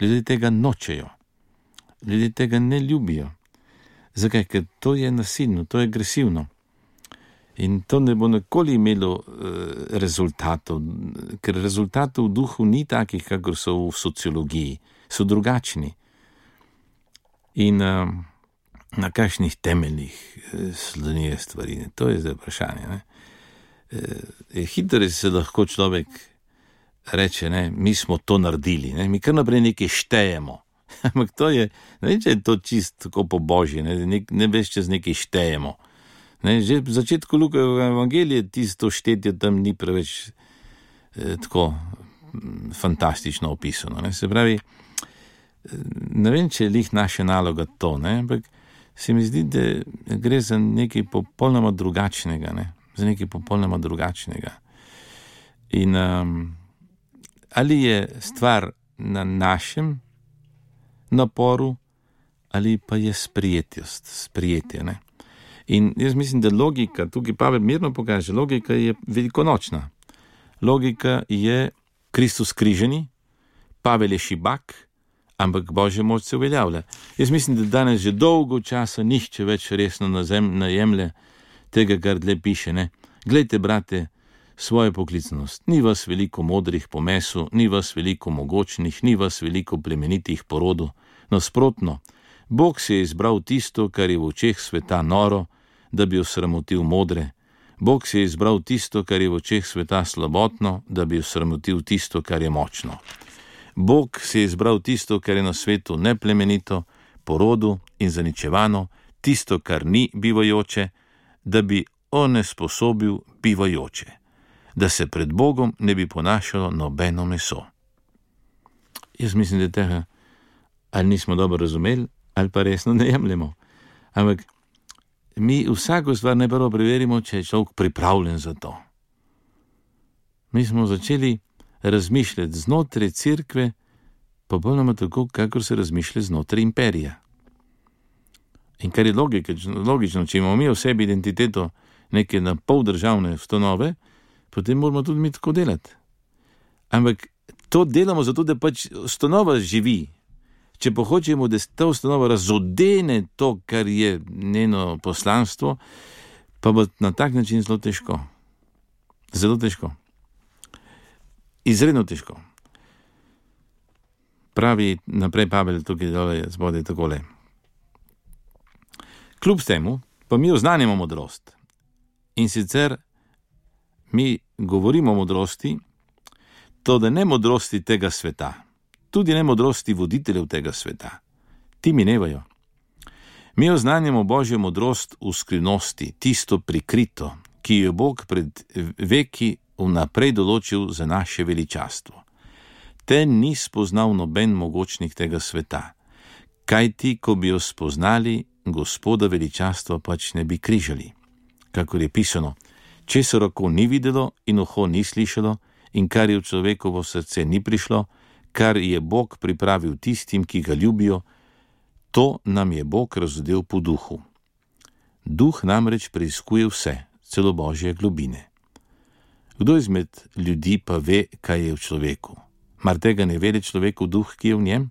Speaker 4: Ljudje tega nočejo. Ljudje tega ne ljubijo. Zakaj? Ker to je nasilno, to je agresivno. In to ne bo nikoli imelo rezultatov, ker rezultatov v duhu ni takih, kakor so v sociologiji, so drugačni. In na kakšnih temeljih slonijo stvari, to je zdaj vprašanje. Ne? Hitro se lahko človek reče, ne, mi smo to naredili, ne? Mi kar naprej nekaj štejemo. Ampak to je, ne vem, če je to čisto tako po božji, ne veš, čez nekaj štejemo. Ne, že v začetku Lukajevega evangelija tisto štetje tam ni preveč tako fantastično opisano. Ne. Se pravi, ne vem, če je lih naša naloga to, ne, ampak se mi zdi, da gre za nekaj popolnoma drugačnega, ne, za nekaj popolnoma drugačnega. In ali je stvar na našem naporu, ali pa je sprijetje, ne. In jaz mislim, da logika, tukaj Pavel mirno pokaže, logika je velikonočna. Logika je Kristus križeni, Pavel je šibak, ampak Božja moč se uveljavlja. Jaz mislim, da danes že dolgo časa nihče več resno ne jemlje tega, kar dlje piše, ne. Glejte, brate, svojo poklicnost. Ni vas veliko modrih po mesu, ni vas veliko mogočnih, ni vas veliko plemenitih po rodu. Nasprotno, Bog si je izbral tisto, kar je v očeh sveta noro, da bi osramotil modre. Bog si je izbral tisto, kar je v očeh sveta slabotno, da bi osramotil tisto, kar je močno. Bog si je izbral tisto, kar je na svetu neplemenito, po rodu in zaničevano, tisto, kar ni bivajoče, da bi onesposobil bivajoče, da se pred Bogom ne bi ponašalo nobeno meso. Jaz mislim, da tega ali nismo dobro razumeli, ali pa resno ne jemljemo. Ampak mi vsako stvar najprvo preverimo, če je človek pripravljen za to. Mi smo začeli razmišljati znotraj cerkve, pa popolnoma tako, kakor se razmišlja znotraj imperija. In kar je logično, če imamo mi v sebi identiteto neke na pol državne ustanove, potem moramo tudi mi tako delati. Ampak to delamo zato, da pač ustanova živi. Če pa hočemo, da ta ustanova razodene to, kar je njeno poslanstvo, pa bo na tak način zelo težko. Zelo težko. Izredno težko. Pravi naprej Pavel tukaj dole spodaj takole. Kljub temu pa mi oznanjamo modrost. In sicer mi govorimo o modrosti, to da ne modrosti tega sveta, tudi ne modrosti voditeljev tega sveta. Ti minevajo. Mi oznanjamo Božjo modrost v skrivnosti, tisto prikrito, ki jo Bog pred veki vnaprej določil za naše veličastvo. Te ni spoznal noben mogočnik tega sveta, kajti, ko bi jo spoznali, Gospoda veličastva pač ne bi križali. Kakor je pisano, česar oko ni videlo in uho ni slišalo in kar je v človekovo srce ni prišlo, kar je Bog pripravil tistim, ki ga ljubijo, to nam je Bog razodel po duhu. Duh namreč preiskuje vse, celo Božje globine. Kdo izmed ljudi pa ve, kaj je v človeku? Mar tega ne vede človekov duh, ki je v njem?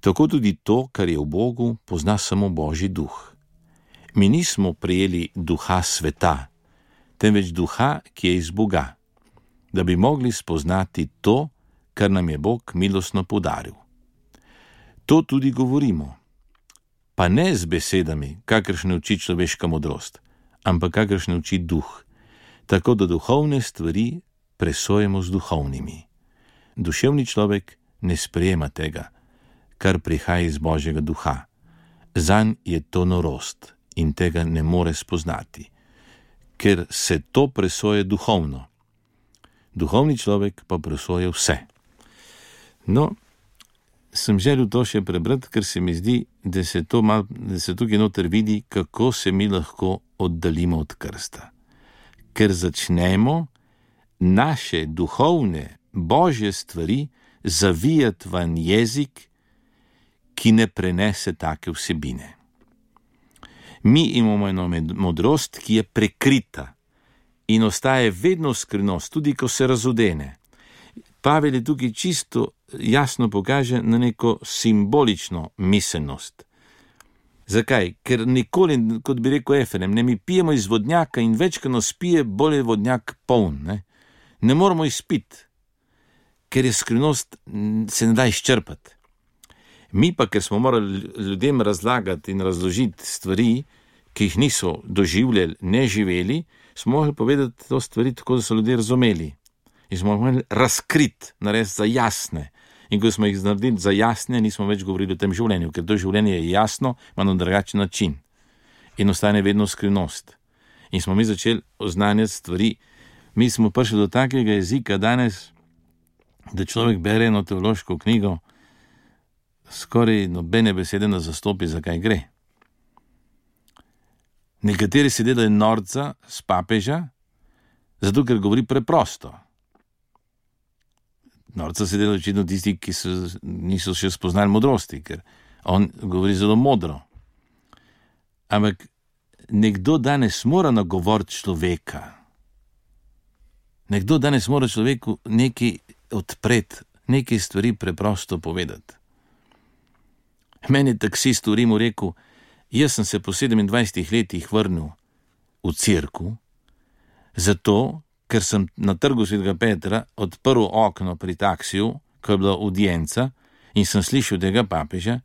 Speaker 4: Tako tudi to, kar je v Bogu, pozna samo Božji duh. Mi nismo prejeli duha sveta, temveč duha, ki je iz Boga, da bi mogli spoznati to, kar nam je Bog milostno podaril. To tudi govorimo, pa ne z besedami, kakršne uči človeška modrost, ampak kakršne uči duh, tako da duhovne stvari presojemo z duhovnimi. Duševni človek ne sprejema tega, kar prihaja iz Božjega duha. Zanj je to norost in tega ne more spoznati, ker se to presoje duhovno. Duhovni človek pa presoje vse. No, sem želel to še prebrati, ker se mi zdi, da se tukaj noter vidi, kako se mi lahko oddaljimo od krsta. Ker začnemo naše duhovne, Božje stvari zavijati van jezik, ki ne prenese take vsebine. Mi imamo eno modrost, ki je prekrita in ostaje vedno skrivnost, tudi ko se razodene. Pavel je tukaj čisto jasno pokaže na neko simbolično miselnost. Zakaj? Ker nikoli, kot bi rekel Efrem, ne, mi pijemo iz vodnjaka in več, ko nas pije, bolj je vodnjak poln. Ne moramo izpiti, ker je skrivnost se ne da izčrpati. Mi pa, ker smo morali ljudem razlagati in razložiti stvari, ki jih niso doživljali, ne živeli, smo mogli povedati to stvari tako, da so ljudje razumeli. In smo mogli razkriti, narediti za jasne. In ko smo jih naredili za jasne, nismo več govorili o tem življenju, ker to življenje je jasno, ima na drugačen način. In ostane vedno skrivnost. In smo mi začeli oznanjati stvari. Mi smo prišli do takega jezika danes, da človek bere eno teološko knjigo, skoraj nobene besede ne zastopi, zakaj gre. Nekateri se delajo norca s papeža, zato ker govori preprosto. Norca se delajo očitno tisti, ki niso še spoznali modrosti, ker on govori zelo modro. Ampak nekdo danes mora nagovoriti človeka. Nekdo danes mora človeku nekaj odpreti, nekaj stvari preprosto povedati. Meni je taksist v Rimu rekel, jaz sem se po 27 letih vrnil v cerkev, zato, ker sem na trgu Svetega Petra odprl okno pri taksiju, ko je bila audienca, in sem slišal tega papeža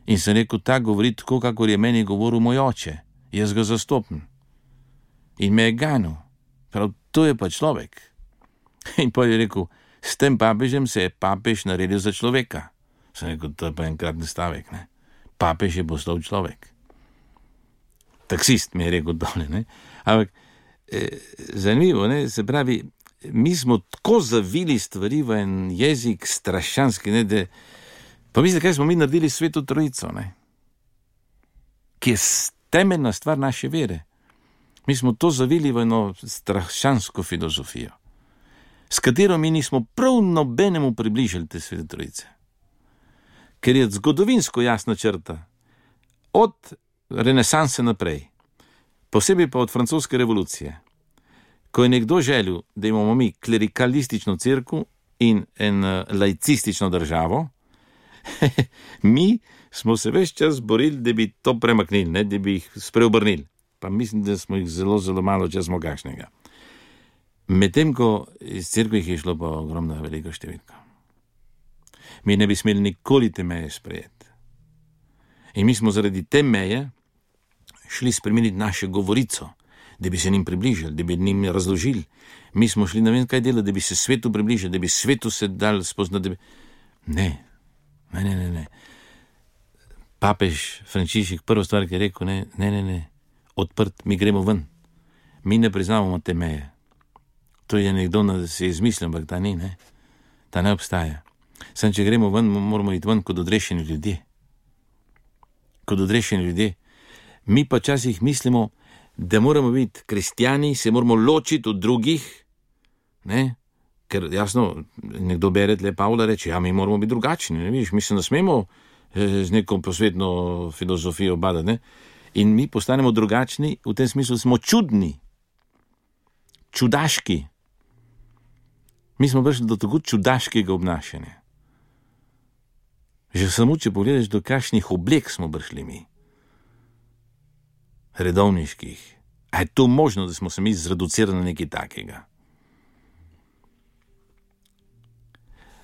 Speaker 4: in sem rekel, ta govori tako, kakor je meni govoril moj oče, jaz ga zastopim. In me je ganil, prav to je pa človek. In pa je rekel, s tem papežem se je papež naredil za človeka. Sem rekel, to je pa enkratni stavek, ne? Papež je postal človek. Taksist mi je rekel dole, ne? Ampak zanimivo, ne? Se pravi, mi smo tako zavili stvari v en jezik strašanski, ne? Da, pa mislite, kaj smo mi naredili Sveto Trojico, ne? Ki je temeljna stvar naše vere. Mi smo to zavili v eno strašansko filozofijo, s katero mi nismo prav nobenemu približali te Svete Trojice. Ker je zgodovinsko jasna črta, od renesanse naprej, posebej pa od francoske revolucije, ko je nekdo želel, da imamo mi klerikalistično cerkev in en laicistično državo, mi smo se ves čas borili, da bi to premaknili, ne, da bi jih spreobrnili. Pa mislim, da smo jih zelo, zelo malo, če smo kakšnega. Medtem, ko iz cerkve jih je šlo pa ogromna velika številka. Mi ne bi smeli nikoli te meje sprejeti. In mi smo zaradi te meje šli spremeniti našo govorico, da bi se njim približali, da bi njim razložili. Mi smo šli, ne vem kaj delati, da bi se svetu približali, da bi svetu se dal spoznati, da bi... Ne. Papež Frančišek, prva stvar, ki je rekel, ne, odprt, mi gremo ven. Mi ne priznavamo te meje. To je nekdo, da se je izmislil, ampak ta ni, ne. Ta ne obstaja. Sam, če gremo ven, moramo iti ven kot odrešeni ljudje. Kot odrešeni ljudje. Mi pa časih mislimo, da moramo biti kristjani, se moramo ločiti od drugih, ne, ker jasno, nekdo bere tle Pavla, reče, ja, mi moramo biti drugačni, ne vidiš, mi se ne smemo z neko posvetno filozofijo badati, ne, in mi postanemo drugačni, v tem smislu smo čudni, čudaški. Mi smo prišli do tako čudaškega obnašanja. Že samo, če pogledaš, do kakšnih oblek smo prišli mi. Redovniških. A je to možno, da smo se mi zreducirali na nekaj takega?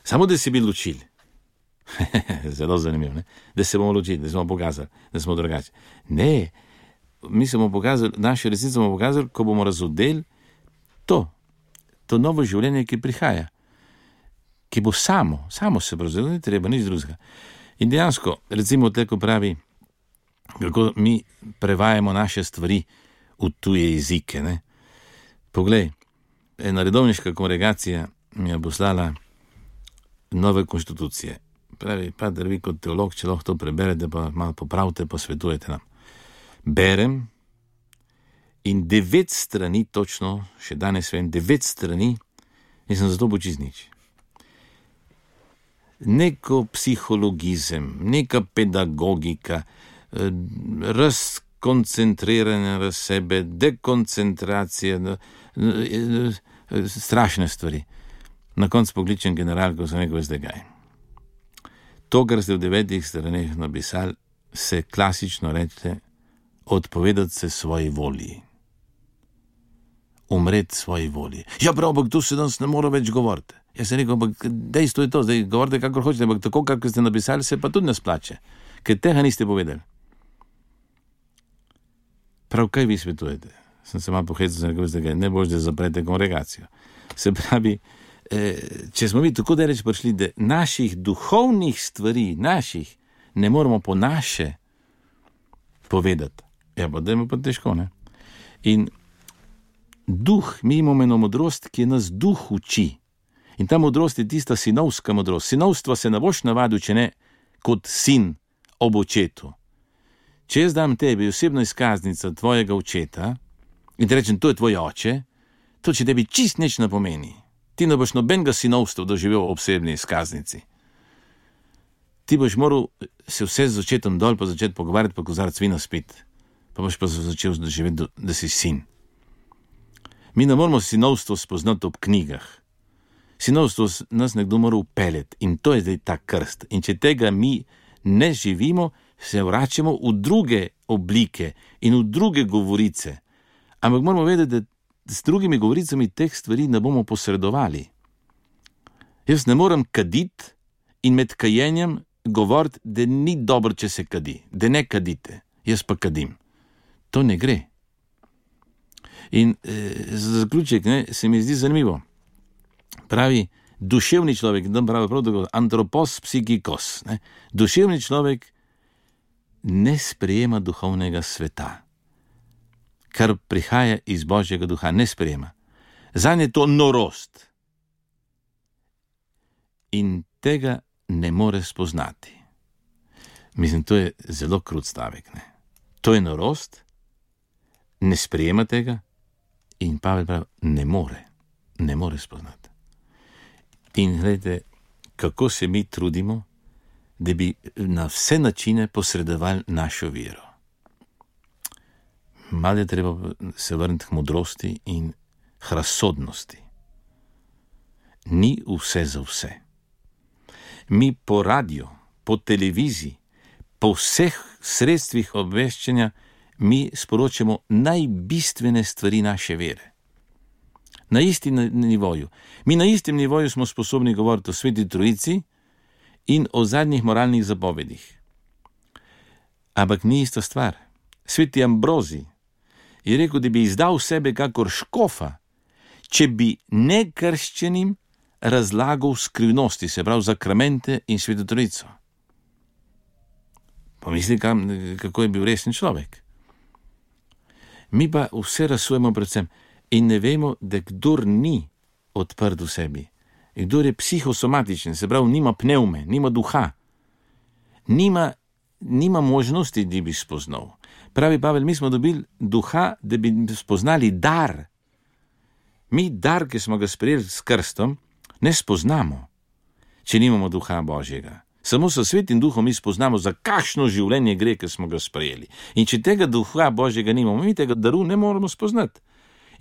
Speaker 4: Samo, da se bi ločili. Zelo zanimivo, ne? Da se bomo ločili, da smo pokazali, da smo drugačni. Ne, mi se bomo pokazali, naše resnice bomo pokazali, ko bomo razodeli to novo življenje, ki prihaja, ki bo samo se prevzelo, ni treba, nič drugega. In dejansko, recimo tako pravi, kako mi prevajamo naše stvari v tuje jezike, ne. Poglej, ena redovniška kongregacija mi je poslala nove konstitucije. Pravi, pater, vi kot teolog, če lahko to preberete, pa malo popravite, pa svetujete nam. Berem in 9 strani, točno, še danes vem, 9 strani, in sem zato počiz nič. Neko psihologizem, neka pedagogika, razkoncentriranje na sebe, dekoncentracija, strašne stvari. Na koncu pokličem generalko, sem rekel, veste kaj. To, kar ste v 9 straneh napisali, se klasično reče odpovedati se svoji volji. Umreti svoji volji. Ja, prav, ampak tu se danes ne mora več govoriti. Jaz sem rekel, ampak dejstvo je to, zdaj govorite kakor hočete, ampak tako, kako ste napisali, se pa tudi ne splače, ker tega niste povedali. Prav, kaj vi svetujete? Sem se malo pohecal, da ne boš, da zaprete kongregacijo. Se pravi, če smo mi tako daleč prišli, da naših duhovnih stvari, ne moramo po naše povedati. Ja, pa da je pa težko, ne? In duh, mi imamo eno modrost, ki nas duh uči. In ta modrost je tista sinovska modrost. Sinovstva se ne boš navadil, če ne kot sin ob očetu. Če jaz dam tebi osebno izkaznico tvojega očeta in ti rečem, to je tvoj oče, to če tebi čist nič ne pomeni. Ti ne boš nobenega sinovstva doživel ob osebni izkaznici. Ti boš moral se vse z očetom dol pa začeti pogovarjati, pa kozarec vina spiti. Pa boš pa začel doživeti, da si sin. Mi ne moramo sinovstvo spoznati ob knjigah. Sinovstvo nas nekdo mora upeljati in to je zdaj ta krst. In če tega mi ne živimo, se vračamo v druge oblike in v druge govorice. Ampak moramo vedeti, da s drugimi govoricami teh stvari ne bomo posredovali. Jaz ne morem kaditi in med kajenjem govoriti, da ni dobro, če se kadi, da ne kadite. Jaz pa kadim. To ne gre. In za zaključek se mi zdi zanimivo. Pravi, duševni človek, antropos psikikos. Duševni človek ne sprejema duhovnega sveta, kar prihaja iz Božjega duha, ne sprejema. Zanje je to norost. In tega ne more spoznati. Mislim, to je zelo krut stavek. To je norost, ne sprejema tega in Pavel pravi, ne more spoznati. In gledajte, kako se mi trudimo, da bi na vse načine posredovali našo vero. Malo je treba se vrniti k modrosti in k razsodnosti. Ni vse za vse. Mi po radiju, po televiziji, po vseh sredstvih obveščanja mi sporočamo najbistvene stvari naše vere. Na istem nivoju. Mi na istem nivoju smo sposobni govoriti o Sveti Trojici in o zadnjih moralnih zapovedih. Ampak ni ista stvar. Sveti Ambrozij je rekel, da bi izdal sebe kakor škofa, če bi nekrščenim razlagal skrivnosti, se pravi zakramente in Sveto Trojico. Pomisli, kako je bil resen človek. Mi pa vse razsujemo predvsem in ne vemo, da kdor ni odprt v sebi, kdor je psihosomatičen, se pravi, nima pneume, nima duha, nima možnosti, da bi spoznal. Pravi Pavel, mi smo dobili duha, da bi spoznali dar. Mi dar, ki smo ga sprejeli s krstom, ne spoznamo, če nimamo duha Božjega. Samo s Svetim duhom mi spoznamo, za kakšno življenje gre, ki smo ga sprejeli. In če tega duha Božjega nimamo, mi tega daru ne moramo spoznati.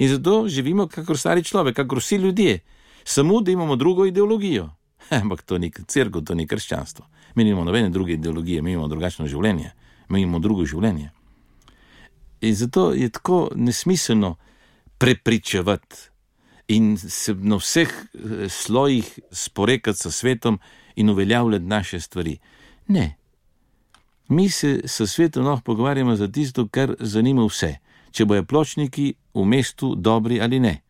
Speaker 4: In zato živimo kakor stari človek, kakor vsi ljudje, samo da imamo drugo ideologijo. Ampak to ni cerkev, to ni krščanstvo. Mi nimamo nobene druge ideologije, mi imamo drugačno življenje, mi imamo drugo življenje. In zato je tako nesmiselno prepričevati in se na vseh slojih sporekati s svetom in uveljavljati naše stvari. Ne. Mi se s svetom lahko pogovarjamo za tisto, kar zanima vse. Če bojo pločniki v mestu dobri ali ne.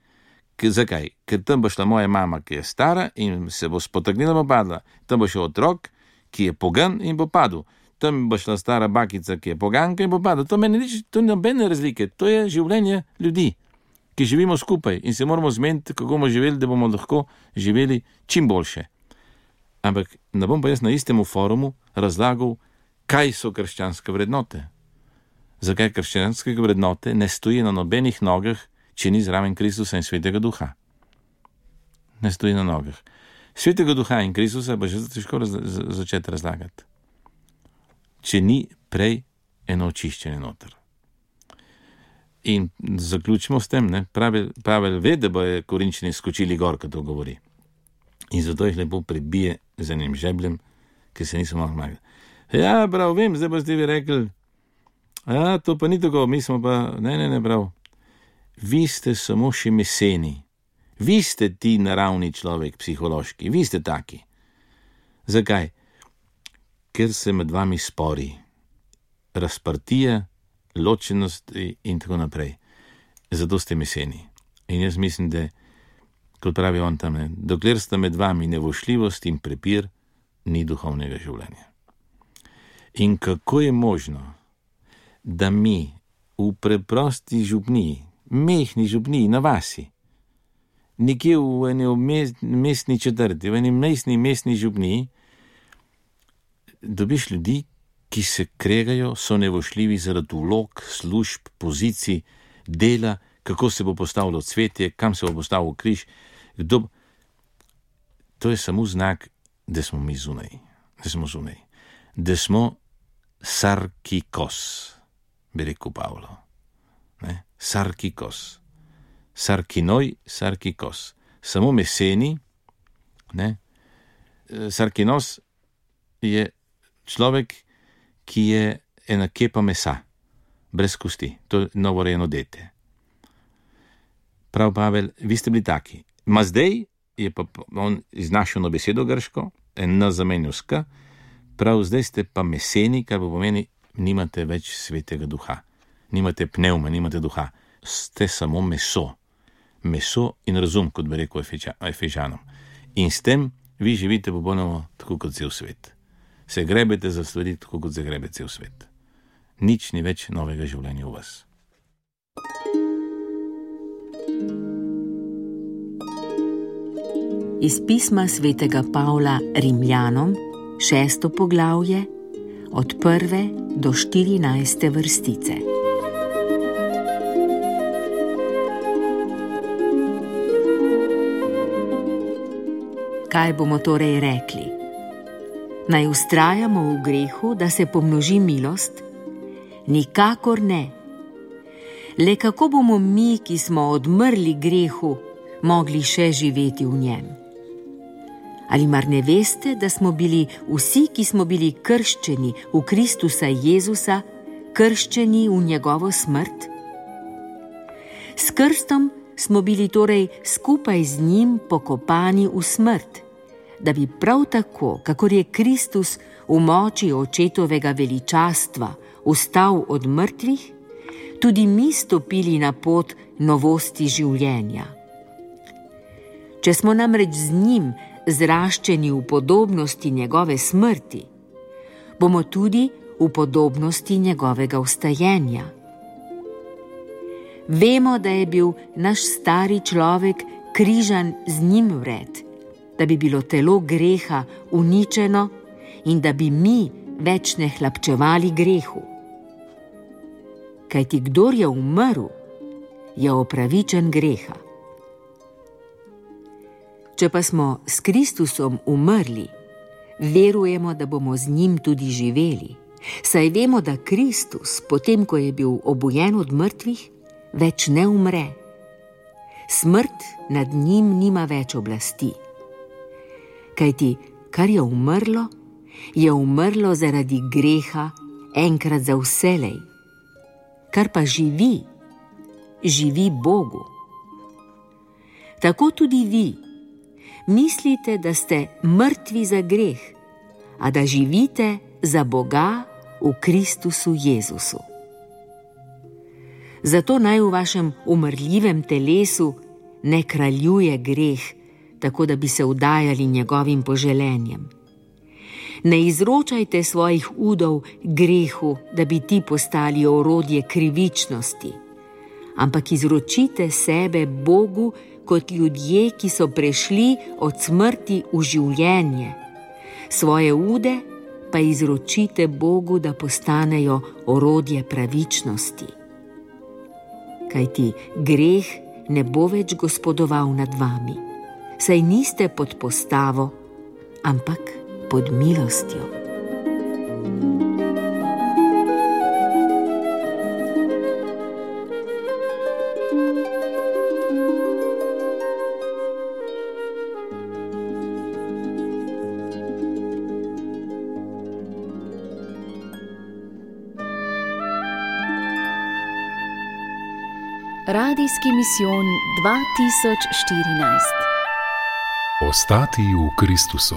Speaker 4: Zakaj? Ker tam bo šla moja mama, ki je stara in se bo spotaknila, bo padla. Tam bo šel otrok, ki je pogan in bo padel. Tam bo šla stara bakica, ki je poganka in bo padla. To meni nič, to ni nobene razlike. To je življenje ljudi, ki živimo skupaj in se moramo zmeniti, kako bomo živeli, da bomo lahko živeli čim boljše. Ampak ne bom pa jaz na istemu forumu razlagal, kaj so krščanske vrednote. Zakaj krščanske vrednote ne stoji na nobenih nogah, če ni zraven Kristusa in Svetega Duha. Ne stoji na nogah. Svetega Duha in Kristusa pa že težko začeti razlagati, če ni prej eno očiščenje noter. In zaključimo s tem, Pavel ve, da bojo Korinčani skočili gor, ko to govori. In zato jih lepo prebije z enim žebljem, ki se niso mogli. Ja, prav, vem, zdaj boste vi rekli, ja, to pa ni tako, mi smo pa, ne, prav. Vi ste samo še meseni. Vi ste ti naravni človek, psihološki, vi ste taki. Zakaj? Ker se med vami spori, razprtije, ločenost in tako naprej. Zato ste meseni. In jaz mislim, da, kot pravi on tam, dokler sta med vami nevošljivost in prepir, ni duhovnega življenja. In kako je možno, da mi v preprosti župniji, mehni župniji na vasi, nekje v eni mestni četrti, v eni mestni župniji, dobiš ljudi, ki se kregajo, so nevošljivi zaradi vlog, služb, pozicij, dela, kako se bo postavilo cvetje, kam se bo postavil križ. To je samo znak, da smo mi zunaj, da smo sarkikos, bi rekel Pavlo. Sarkikos. Sarkinoj, sarkikos. Samo meseni, sarkinos je človek, ki je ena kepa mesa, brez kosti, to je novorejeno dete. Prav Pavel, vi ste bili taki. Ma zdaj je pa on iznašel besedo grško, en zamenjal s k, prav zdaj ste pa meseni, kar pomeni, nimate več svetega duha, nimate pnevma, nimate duha, ste samo meso. Meso in razum, kot bi rekel Efežanom. In s tem vi živite popolnoma tako kot cel svet. Se grebete za stvari tako kot se grebe cel svet. Nič ni več novega življenja v vas.
Speaker 3: Iz pisma svetega Pavla Rimljanom, 6. poglavje, od 1. do 14. vrstice. Kaj bomo torej rekli? Naj vztrajamo v grehu, da se pomnoži milost? Nikakor ne. Le kako bomo mi, ki smo odmrli grehu, mogli še živeti v njem? Ali mar ne veste, da smo bili vsi, ki smo bili krščeni v Kristusa Jezusa, krščeni v njegovo smrt? S krstom smo bili torej skupaj z njim pokopani v smrt, da bi prav tako, kakor je Kristus v moči očetovega veličastva vstal od mrtvih, tudi mi stopili na pot novosti življenja. Če smo namreč z njim zraščeni v podobnosti njegove smrti, bomo tudi v podobnosti njegovega vstajenja. Vemo, da je bil naš stari človek križan z njim vred, da bi bilo telo greha uničeno in da bi mi več ne hlapčevali grehu. Kajti kdor je umrl, je opravičen greha. Če pa smo s Kristusom umrli, verujemo, da bomo z njim tudi živeli, saj vemo, da Kristus, potem ko je bil obujen od mrtvih, več ne umre. Smrt nad njim nima več oblasti. Kajti, kar je umrlo zaradi greha enkrat za vselej. Kar pa živi, živi Bogu. Tako tudi vi mislite, da ste mrtvi za greh, a da živite za Boga v Kristusu Jezusu. Zato naj v vašem umrljivem telesu ne kraljuje greh, tako da bi se vdajali njegovim poželenjem. Ne izročajte svojih udov grehu, da bi ti postali orodje krivičnosti, ampak izročite sebe Bogu kot ljudje, ki so prešli od smrti v življenje. Svoje ude pa izročite Bogu, da postanejo orodje pravičnosti. Kajti greh ne bo več gospodoval nad vami, saj niste pod postavo, ampak pod milostjo.
Speaker 2: Radijski misijon 2014.
Speaker 1: Ostati v Kristusu.